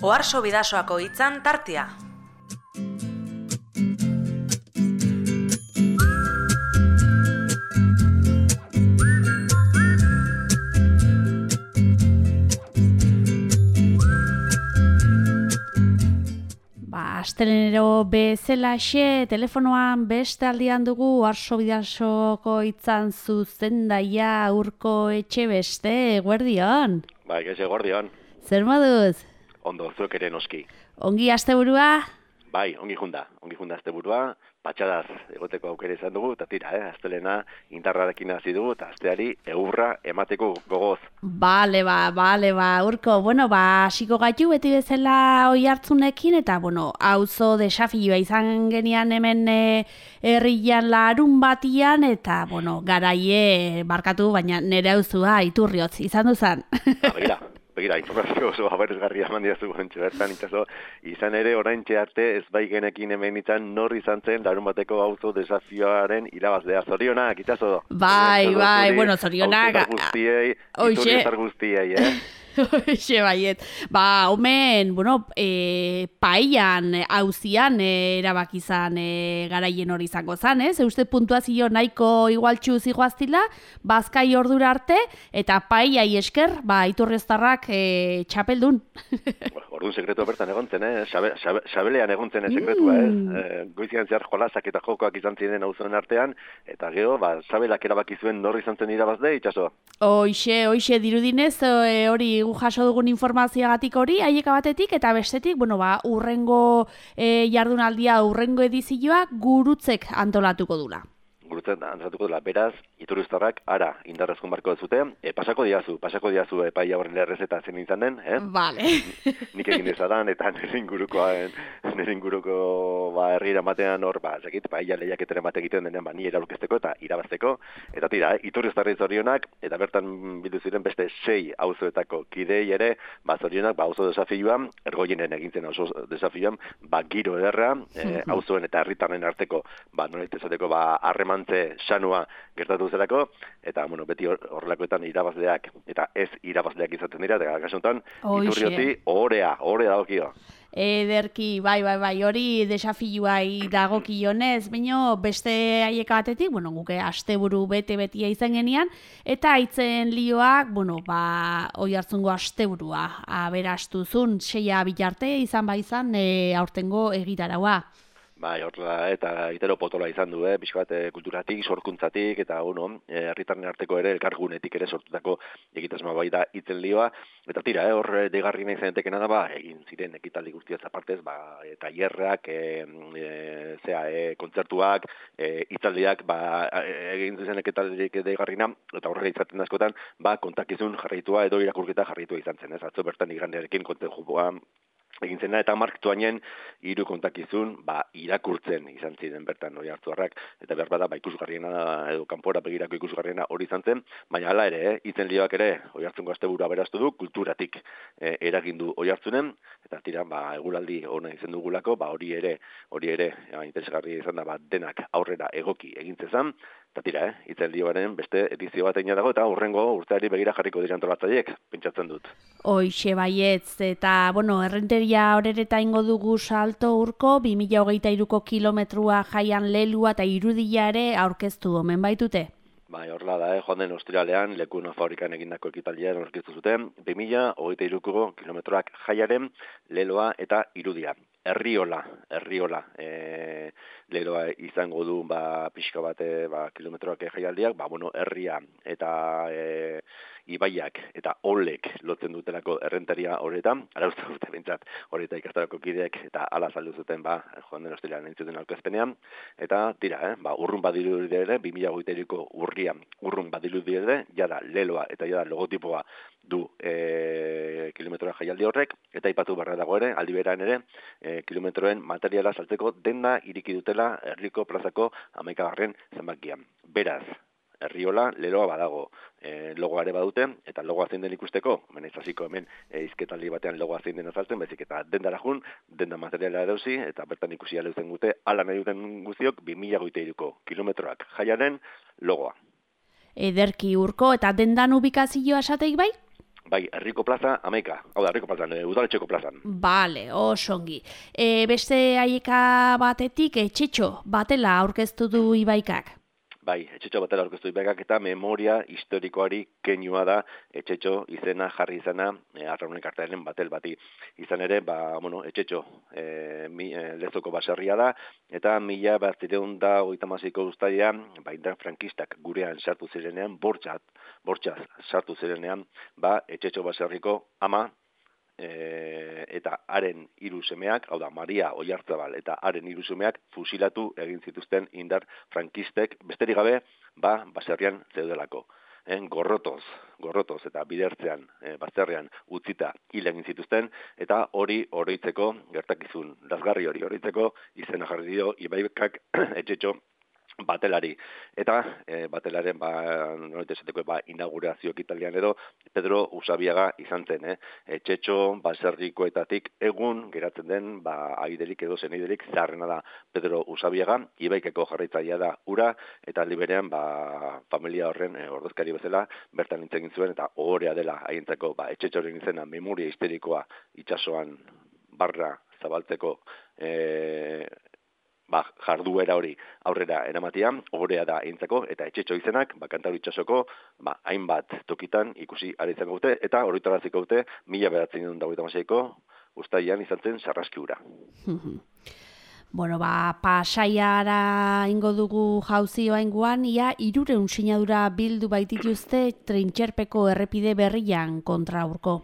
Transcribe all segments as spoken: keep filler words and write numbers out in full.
Oharso Bidasoako hitzan tartea. Astelenero bezalaxe, telefonoan beste aldian dugu Oharso Bidasoko hitzan zuzendaia Urko Etxebeste, eguerdion. Bai, gaiz eguerdion. Zer moduz? Ondo, zuek ere noski. Ongi asteburua? Bai, ongi junda, ongi junda asteburua, patxadaz egoteko aukera izan dugu, eta tira, eh, astelena indarrarekin hasi dugu, eta asteari egurra emateko gogoz. Bale, ba, bale, ba, Urko, bueno, ba, hasiko gaitu beti bezala oihartzunekin, eta, bueno, auzo desafioa izan genian hemen e, herrian larun batian, eta, bueno, garaie barkatu, baina nire auzua iturriotz izan duzan. Ha, begira. Begira, informazio oso abertzgarria eman diazu gontxe bertan, itxaso, izan ere oraintxe arte ez bai genekin hemen izan nor izan zen larun bateko auzo desafioaren irabazlea. Zorionak, itxaso. Bai, bai, bueno, zorionak. Auzo guztiei, iturri guztiei, eh? Hoxe baiet. Ba, omen, bueno, e, paellan, auzian e, erabaki izan e, garaien hori izango zan, ez? Euste puntuazio nahiko igualtxu zigoaztila, bazkai ordura arte, eta paellai esker, ba, iturrioztarrak e, txapeldun. Orduan sekretua bertan egontzen, eh? Xabe, xabe, xabelean egontzen sekretua, mm. eh? E, goizian zehar jolasak eta jokoak izan ziren auzoen artean, eta gero, ba, xabelak erabaki zuen nor izan zen irabazle, itxaso. Hoxe, hoxe, dirudinez, e, hori gu jaso dugun informazioagatik hori, haieka batetik, eta bestetik, bueno, ba, urrengo e, jardunaldia, urrengo edizioa gurutzek antolatuko dula. Gurutzek antolatuko dula, beraz, iturrioztarrak ara indarrezkon barko duzute, e, pasako diazu, pasako diazu epaia horren errezeta zen izan den, eh? Vale. Nik egin dezadan, eta nire inguruko, nire inguruko, ba, herriera batean hor, ba, zekit, paella lehiaketaren bat egiten denean, ba, ni eraurkezteko eta irabazteko, eta tira, eh? Iturrioztarri zorionak, eta bertan bildu ziren beste sei auzoetako kidei ere, ba, zorionak, ba, auzo desafioan, ergoienen egintzen auzo desafioan, ba, giro ederra, eh, auzoen eta herritarren arteko, ba, nola izateko, ba, harremantze sanua gertatu zelako, eta, bueno, beti horrelakoetan irabazleak, eta ez irabazleak izaten dira, eta kasuntan, iturrioti ohorea, ohorea dagokio. Ederki, bai, bai, bai, hori desafioai dagokionez, baino beste haieka batetik, bueno, guke asteburu bete-betia izan genian, eta aitzen lioak, bueno, ba, oihartzungo asteburua, aberastuzun, seia bilarte izan ba izan, e, aurtengo egitaraua. Bai, horrela, eta itero potola izan du, eh, pixko bat e, kulturatik, sorkuntzatik, eta, bueno, herritarren e, arteko ere, elkargunetik ere sortutako egitasmoa bai da itzen lioa, eta tira, eh, hor degarri nahi zanetekena da, ba, egin ziren ekitaldi guztiaz apartez, ba, e, tailerrak, e, e, zea, e, kontzertuak, e, itzaldiak, ba, egin ziren ekitaldik degarrina, eta horrela izaten askotan, ba, kontakizun jarraitua edo irakurketa jarraitua izan zen, ez, atzo bertan igrandearekin konten jubua, egin zena, eta marktuanen hiru kontakizun ba, irakurtzen izan ziren bertan hori hartuarrak, eta behar bada ba, ikusgarriena edo kanpora begirako ikusgarriena hori izan zen, baina hala ere, eh, itzen lioak ere hori hartzungo asteburu aberastu du, kulturatik eh, eragindu hori hartzunen, eta tira, ba, eguraldi hona izan dugulako, ba, hori ere, hori ere, ja, interesgarri izan da, ba, denak aurrera egoki egintzezan, eta tira, eh, itzen lioaren beste edizio bat egin dago, eta hurrengo urteari begira jarriko dira antolatzaileek, pentsatzen dut. Hoixe baietz, eta, bueno, errenteria horereta ingo dugu salto Urko, bi mila hogeita hiruko kilometrua jaian lelua eta irudia ere aurkeztu omen baitute. Bai, horrela da, eh? Joan den ostiralean, Lekuna fabrikan egindako ekitaldian aurkeztu zuten, bi mila hogeita hiruko kilometroak jaiaren leloa eta irudia. Herriola, herriola, e, leloa izango du, ba, pixka bate, ba, kilometroak jaialdiak, ba, bueno, herria eta e, ibaiak eta olek lotzen dutelako errentaria horretan, ara uste dute bintzat, horreta ikastarako kideek eta ala saldu zuten, ba, joan den ostiralean entzuten aurkezpenean, eta tira, eh, ba, urrun badiru ere, bi mila hogeita hiruko urrian, urrun badiru ere, jada leloa eta jada logotipoa du e, kilometroa jaialdi horrek, eta ipatu barra dago ere, aldi beran ere, e, kilometroen materiala saltzeko denda iriki dutela herriko plazako hamaikagarren zenbakian. Beraz, Herriola, leloa badago, e, logoa ere badute, eta logoa zein den ikusteko, hemen ez hasiko hemen e, izketaldi batean logoa zein den azaltzen, bezik eta dendara jun, denda materiala erauzi, eta bertan ikusi aleutzen gute, ala nahi duten guztiok, bi mila hogeita hiruko kilometroak jaiaren logoa. Ederki Urko, eta dendan ubikazioa esateik bai? Bai, herriko plaza amaika, hau da, herriko plazan, udaletxeko plazan. Bale, osongi. E, beste aieka batetik, etxetxo batela aurkeztu du Ibaikak. Bai, etxetxo batela aurkeztu Ibaikak eta memoria historikoari keinua da etxetxo izena jarri izana e, Arraunek artearen batel bati. Izan ere, ba, bueno, etxetxo e, mi, e, lezoko baserria da, eta mila bederatziehun eta hogeita hamaseiko uztailean, ba, indar frankistak gurean sartu zirenean, bortxat, bortxaz sartu zirenean, ba, etxetxo baserriko ama, E, eta haren hiru semeak, hau da, Maria Oiartzabal eta haren hiru semeak fusilatu egin zituzten indar frankistek, besterik gabe, ba, baserrian zeudelako. Eh, gorrotoz, gorrotoz eta bidertzean, eh, baserrian utzita hil egin zituzten, eta hori oroitzeko, gertakizun, lazgarri hori oroitzeko, izena jarri dio Ibaikak etxetxo batelari. Eta e, batelaren ba, nolet esateko, ba, inaugurazio ekitalian edo Pedro Usabiaga izan zen. Eh? Etxetxo baserrikoetatik egun geratzen den ba, aiderik edo zeneiderik zaharrena da Pedro Usabiaga, Ibaikako jarraitzailea da ura, eta liberean ba, familia horren e, ordezkari bezala bertan nintzen zuen, eta ohorea dela haientzako ba, etxetxoren izena memoria histerikoa itsasoan barra zabaltzeko e, ba, jarduera hori aurrera eramatia, ohorea da eintzako, eta etxetxo izenak, ba, Kantauri itsasoko, ba, hainbat tokitan ikusi ari izango dute, eta horretaraziko dute, mila bederatziehun eta hogeita hamaseiko uztailean izan zen Sarraski ura. Bueno, ba, Pasaiara ingo dugu jauzioa inguan, ia hirurehun sinadura bildu baitituzte Trintxerpeko errepide berrian kontra urko.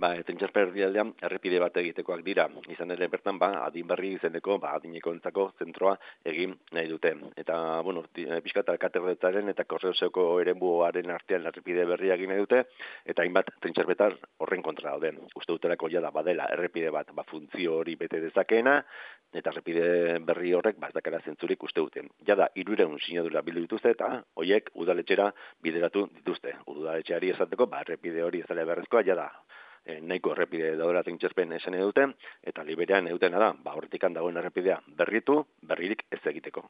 Ba, Trintxerpe erdialdean errepide bat egitekoak dira. Izan ere bertan, ba, adin berri izeneko, ba, adineko entzako zentroa egin nahi dute. Eta, bueno, pixka eta katerretzaren eta korreoseko eremuaren artean errepide berria egin nahi dute, eta hainbat Trintxerpetar horren kontra dauden. Uste dutelako jada badela errepide bat, ba, funtzio hori bete dezakeena, eta errepide berri horrek, ba, ez dakara zentzurik uste duten. Jada, hirurehun sinadura bildu dituzte, eta hoiek udaletxera bideratu dituzte. Udaletxeari esateko, ba, errepide hori ez dela beharrezkoa, jada, E, nahiko errepide daudela Trintxerpen esan edute, eta liberean edutena da, ba, horretikan dagoen errepidea berritu, berririk ez egiteko.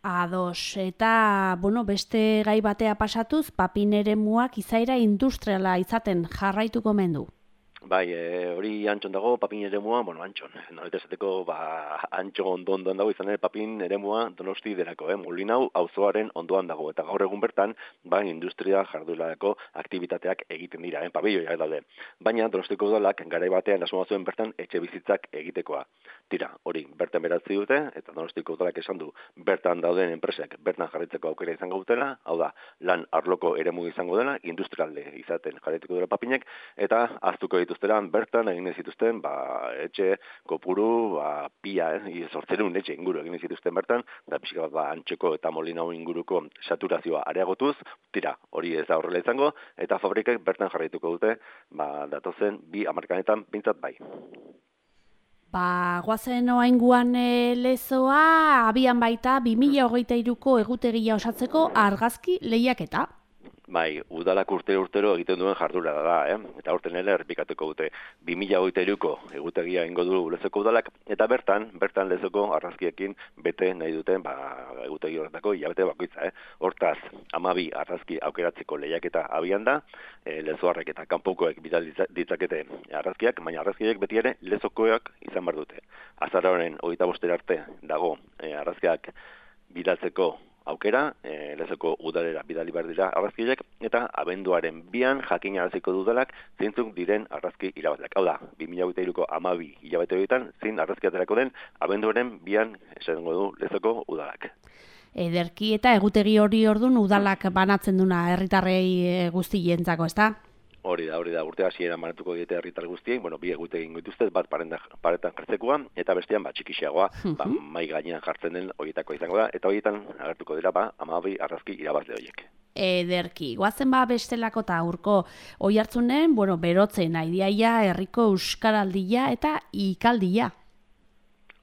Ados, eta, bueno, beste gai batea pasatuz, Papin eremuak izaera industriala izaten jarraituko mendu. Bai, e, hori Antxon dago, Papin eremua, bueno, Antxon, nolet esateko, ba, Antxon ondo ondoan dago, izan ere Papin eremua Donosti derako, eh? Molinau auzoaren ondoan dago, eta gaur egun bertan, ba, industria jarduerako aktibitateak egiten dira, eh? Pabelloiak daude. Baina Donostiko udalak garai batean asmoa zuen bertan etxe bizitzak egitekoa. Tira, hori, bertan beratzi dute, eta Donostiko udalak esan du, bertan dauden enpresek bertan jarraitzeko aukera izango dutela, hau da, lan arloko eremu izango dela, industrialde izaten jarraituko dela Papinek, eta aztuko ditu dituzteran bertan egin zituzten ba, etxe kopuru ba, pia, eh, zortzerun etxe inguru egin zituzten bertan, da pixka bat ba, Antxoko eta Molinau inguruko saturazioa areagotuz, tira, hori ez da horrela izango, eta fabrikek bertan jarraituko dute, ba, datozen bi hamarkanetan bintzat bai. Ba, guazen oainguan e, lezoa, abian baita bi mila hogeita hiruko egutegia osatzeko argazki lehiaketa. Bai, udalak urte urtero egiten duen jardura da, eh? Eta urten ere errepikatuko dute bi mila hogeita hiruko egutegia ingo du lezoko udalak, eta bertan, bertan lezoko argazkiekin bete nahi duten ba, egutegi horretako hilabete bakoitza. Eh? Hortaz, hamabi argazki aukeratzeko lehiaketa abian da, e, lezoarrek eta kanpokoek bidal ditzakete argazkiak, baina argazkiek beti ere lezokoak izan behar dute. Azaroaren hogeita boster arte dago e, argazkiak bidaltzeko aukera, e, lezoko udalera bidali behar dira argazkiek, eta abenduaren bian jakinaraziko dudalak zeintzuk diren argazki irabazleak. Hau da, bi mila hogeita hiruko hamabi hilabete horietan zein argazki aterako den abenduaren bian esango du lezoko udalak. Ederki eta egutegi hori ordun udalak banatzen duna herritarrei guztientzako, ezta? Hori da, hori da, urte hasieran banatuko diete herritar guztiei, bueno, bi egutegin dituzte, bat paretan jartzekoa, eta bestean, ba, txikixeagoa, ba, mai gainean jartzen den horietako izango da, eta horietan agertuko dira, ba, hamabi argazki irabazle horiek. Ederki, guazen ba bestelako eta urko oihartzunen, bueno, berotzen aidiaia, herriko euskaraldia eta ikaldia.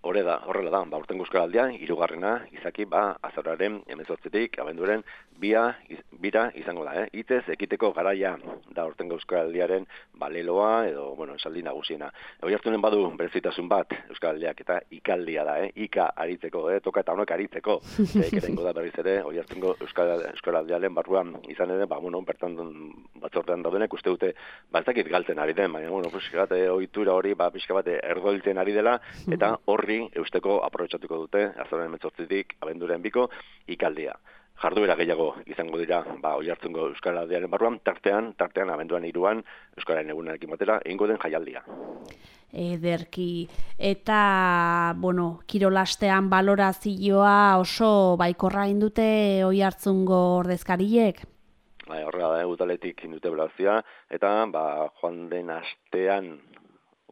Hore da, horrela da, ba, urten euskaraldia, hirugarrena, izaki, ba, azoraren hemezortzitik, abenduaren, bia, iz, bira izango da, eh? Itez, ekiteko garaia da urten euskaraldiaren, ba, leloa edo, bueno, esaldi nagusiena. Oiartzunen badu berezitasun bat, Euskal Aldeak, eta ikaldia da, eh? Ika aritzeko, eh? Toka eta honek aritzeko. Ekerengo da berriz ere, Oiartzungo Euskal, Euskal Aldearen barruan izan ere, ba, bueno, bertan batzortean daudenek uste dute, baltzakit galtzen ari den, baina, bueno, pixka bat, ohitura hori, ba, pixka bat, ergoiltzen ari dela, eta horri eusteko aprobetxatuko dute, azoren emetzortzitik, abenduren biko, ikaldia. Jarduera gehiago izango dira, ba, Oiartzungo Euskal Aldearen barruan, tartean, tartean, abenduan hiruan, Euskararen egunarekin batera, egingo den jaialdia. Ederki, eta, bueno, kirolastean balorazioa oso baikorra indute Oiartzungo ordezkariek? Ba, horrela da, udaletik indute balorazioa, eta, ba, joan den astean,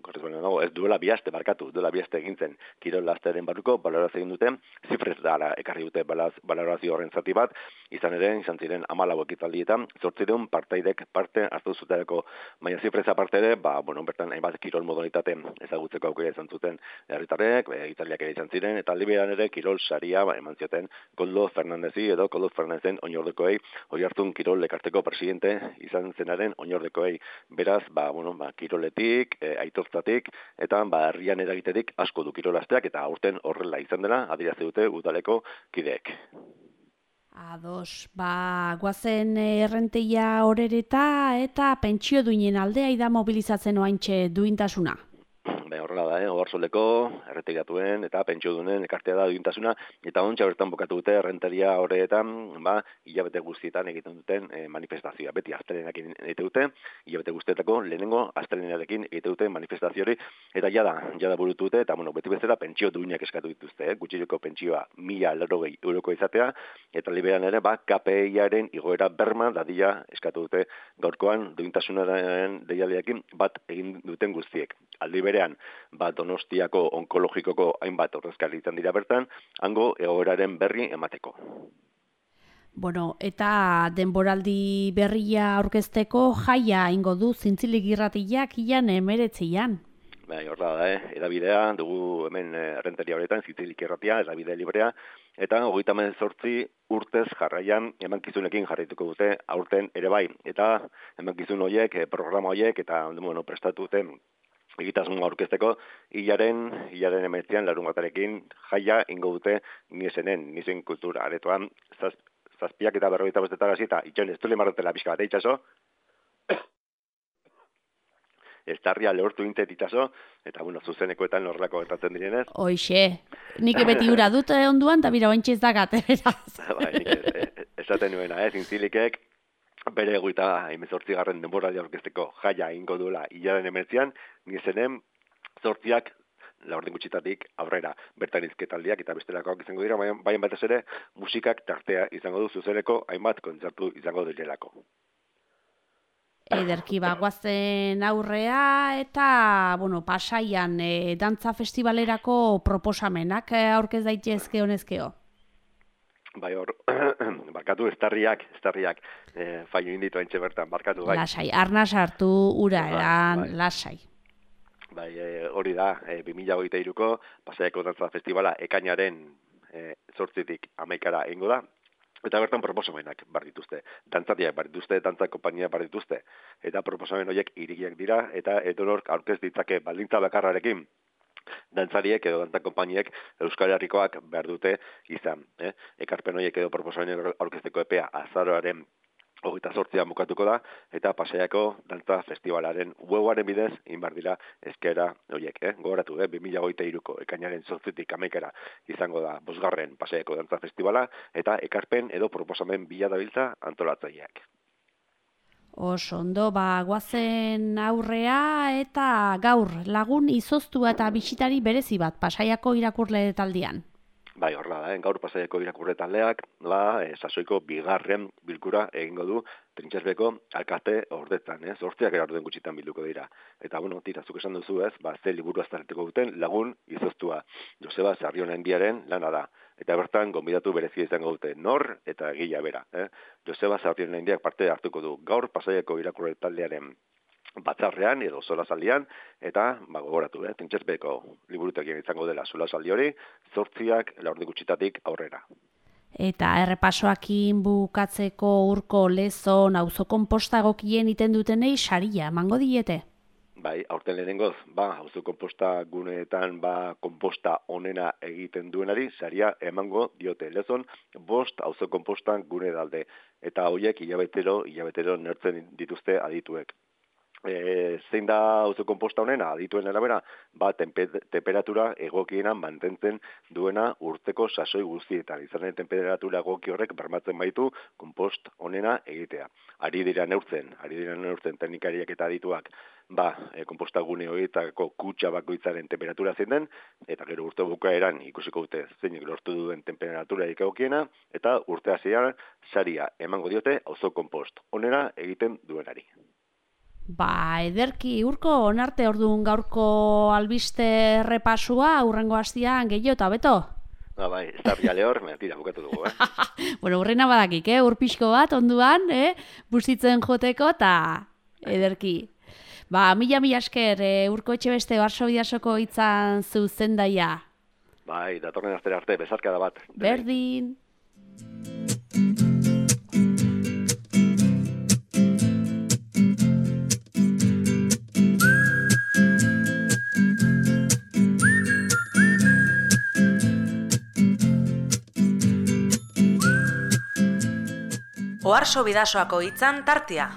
no, ez duela bihaste barkatu, duela bihaste egintzen kirol astearen barruko balorazio egin dute, zifrez dara ekarri dute balorazio horren zati bat, izan ere, izan ziren amalau ekitaldietan, zortzireun partaidek parte hartu zutelako, baina zifrez aparte ere, ba, bueno, bertan hainbat kirol modalitate ezagutzeko aukera izan zuten herritarrek, ekitaliak ere izan ziren, eta aldiberan ere kirol saria ba, eman zioten Koldo Fernandezi edo Koldo Fernandezen oinordekoei, Oiartzun kirol ekarteko presidente izan zenaren oinordekoei, beraz, ba, bueno, ba, kiroletik, e, aitortzatik, eta ba, herrian eragitetik asko du kirolasteak, eta aurten horrela izan dela, adierazte dute udaleko kideek. Ados, ba, guazen errenteia horereta eta pentsio duinen aldea ida mobilizatzen oaintxe duintasuna. Baina horrela da, eh? Oarsoleko, erretegatuen eta pentsio dunen ekartea da duintasuna, eta ontsa bertan bokatu dute errenteria horretan, ba, hilabete guztietan egiten duten eh, manifestazioa. Beti astelenak egite dute, hilabete guztietako lehenengo astelenarekin egite dute manifestazio hori, eta jada, jada burutu dute, eta bueno, beti bezala pentsio duinak eskatu dituzte, eh? Gutxireko pentsioa mila laurogei euroko izatea, eta liberan ere, ba, K P I-aren igoera berma dadila eskatu dute gaurkoan duintasunaren deialdiakin bat egin duten guztiek. Aldi berean, ba, Donostiako onkologikoko hainbat ordezkari izan dira bertan, hango egoeraren berri emateko. Bueno, eta denboraldi berria aurkezteko jaia ingo du Zintzilik irratiak ilan emeretzian. Bai, horra da, eh? Edabidea, dugu hemen errenteria horretan, Zintzilik irratia, edabide librea, eta hogeita hemezortzi urtez jarraian emankizunekin jarraituko dute aurten ere bai. Eta emankizun horiek, programa horiek, eta bueno, prestatu duten egitasmoa aurkezteko, hilaren, hilaren emetzian, larun batarekin, jaia ingo dute niesenen, niesen kultura aretoan, zaz, zazpiak eta berrogeita bostetan hasi, eta itxoen ez du lemarrotela pixka bat, itxaso, estarria lehortu intet itxaso, eta bueno, zuzenekoetan horrelako gertatzen direnez. Hoixe, nik beti ura dut onduan, eta bira ointxe ez dakat, beraz. Ba, nik esaten nuena, eh, Zintzilikek, bere eguita hemezortzigarren denboraldia aurkezteko jaia ingo duela hilaren emetzian, nizenen zortziak laurden gutxitatik aurrera bertan izketaldiak eta bestelakoak izango dira, baina batez ere musikak tartea izango du zuzeneko hainbat kontzertu izango direlako. Ederki bagoazen aurrea eta bueno, Pasaian e, dantza festivalerako proposamenak aurkez daitezke honezkeo. Bai hor, barkatu estarriak, estarriak, e, faio inditu haintxe bertan, barkatu bai. Lasai, arna sartu ura eran, bai. Lasai. Bai, e, hori da, e, bi mila hogeita hiruko Pasaiako dantza festivala ekainaren e, zortzitik hamaikara egingo da, eta bertan proposamenak bar dituzte, dantzatiak bar dituzte, dantza konpainia bar dituzte, eta proposamen horiek irigiak dira, eta edonork aurkez ditzake baldintza bakarrarekin, dantzariek edo dantza konpainiek Euskal Herrikoak behar dute izan. Eh? Ekarpen horiek edo proposamen aurkezteko epea azaroaren hogeita zortzian bukatuko da, eta Pasaiako dantza festivalaren webaren bidez inbar dira eskaera horiek. Eh? Gogoratu, eh? bi mila hogeita hiruko ekainaren zortzitik hamaikara izango da bosgarren Pasaiako dantza festivala, eta ekarpen edo proposamen bila dabiltza antolatzaileak. Oso ondo, ba, guazen aurrea eta gaur lagun izoztua eta bisitari berezi bat Pasaiako irakurle taldean. Bai, horrela da, eh? Gaur Pasaiako irakurle taldeak, ba, e, sasoiko bigarren bilkura egingo du Trintxerbeko alkate ordetan, eh? Zortziak erarden gutxitan bilduko dira. Eta, bueno, tira, zuk esan duzu ez, ba, ze liburu azterteko duten lagun izoztua. Joseba Sarrionendiaren lana da. Eta bertan, gonbidatu berezia izango dute nor eta egila bera. Eh? Joseba Sarrionendiak parte hartuko du gaur Pasaiako irakurle taldearen batzarrean edo solasaldian, eta ba, gogoratu, eh? Trintxerbeko liburutegian izango dela solasaldi hori, zortziak laurden gutxitatik aurrera. Eta errepasoakin bukatzeko Urko Lezon auzo konposta egokien iten dutenei saria emango diete. Bai, aurten lehenengoz, ba, auzo konposta guneetan ba konposta onena egiten duenari saria emango diote. Lezon bost auzo konposta gune dalde eta horiek hilabetero hilabetero neurtzen dituzte adituek. E, zein da auzo konposta honena adituen arabera, ba, tempe- temperatura egokiena mantentzen duena urteko sasoi guztietan. Izan ere, temperatura egoki horrek bermatzen baitu konpost honena egitea. Ari dira neurtzen, ari dira neurtzen teknikariak eta adituak, ba, e, konpostagune horietako kutxa bakoitzaren temperatura zein den, eta gero urte bukaeran ikusiko dute zeinek lortu duen temperatura egokiena, eta urte hasieran saria emango diote auzo konpost honena egiten duenari. Ba, ederki, Urko, onarte orduan gaurko albiste errepasua, hurrengo hastian gehiago eta beto? Ba, bai, ez da biale hor, mentira, bukatu dugu, eh? Bueno, hurrena badakik, eh? Urpixko bat, onduan, eh? Busitzen joteko, eta ederki. Ba, mila mila esker, eh? Urko Etxebeste Varsovia-soko hitzan zuzendaia. Bai, datorren astera arte, bezarkada bat. Berdin. Oarso Bidasoako hitzan tartea.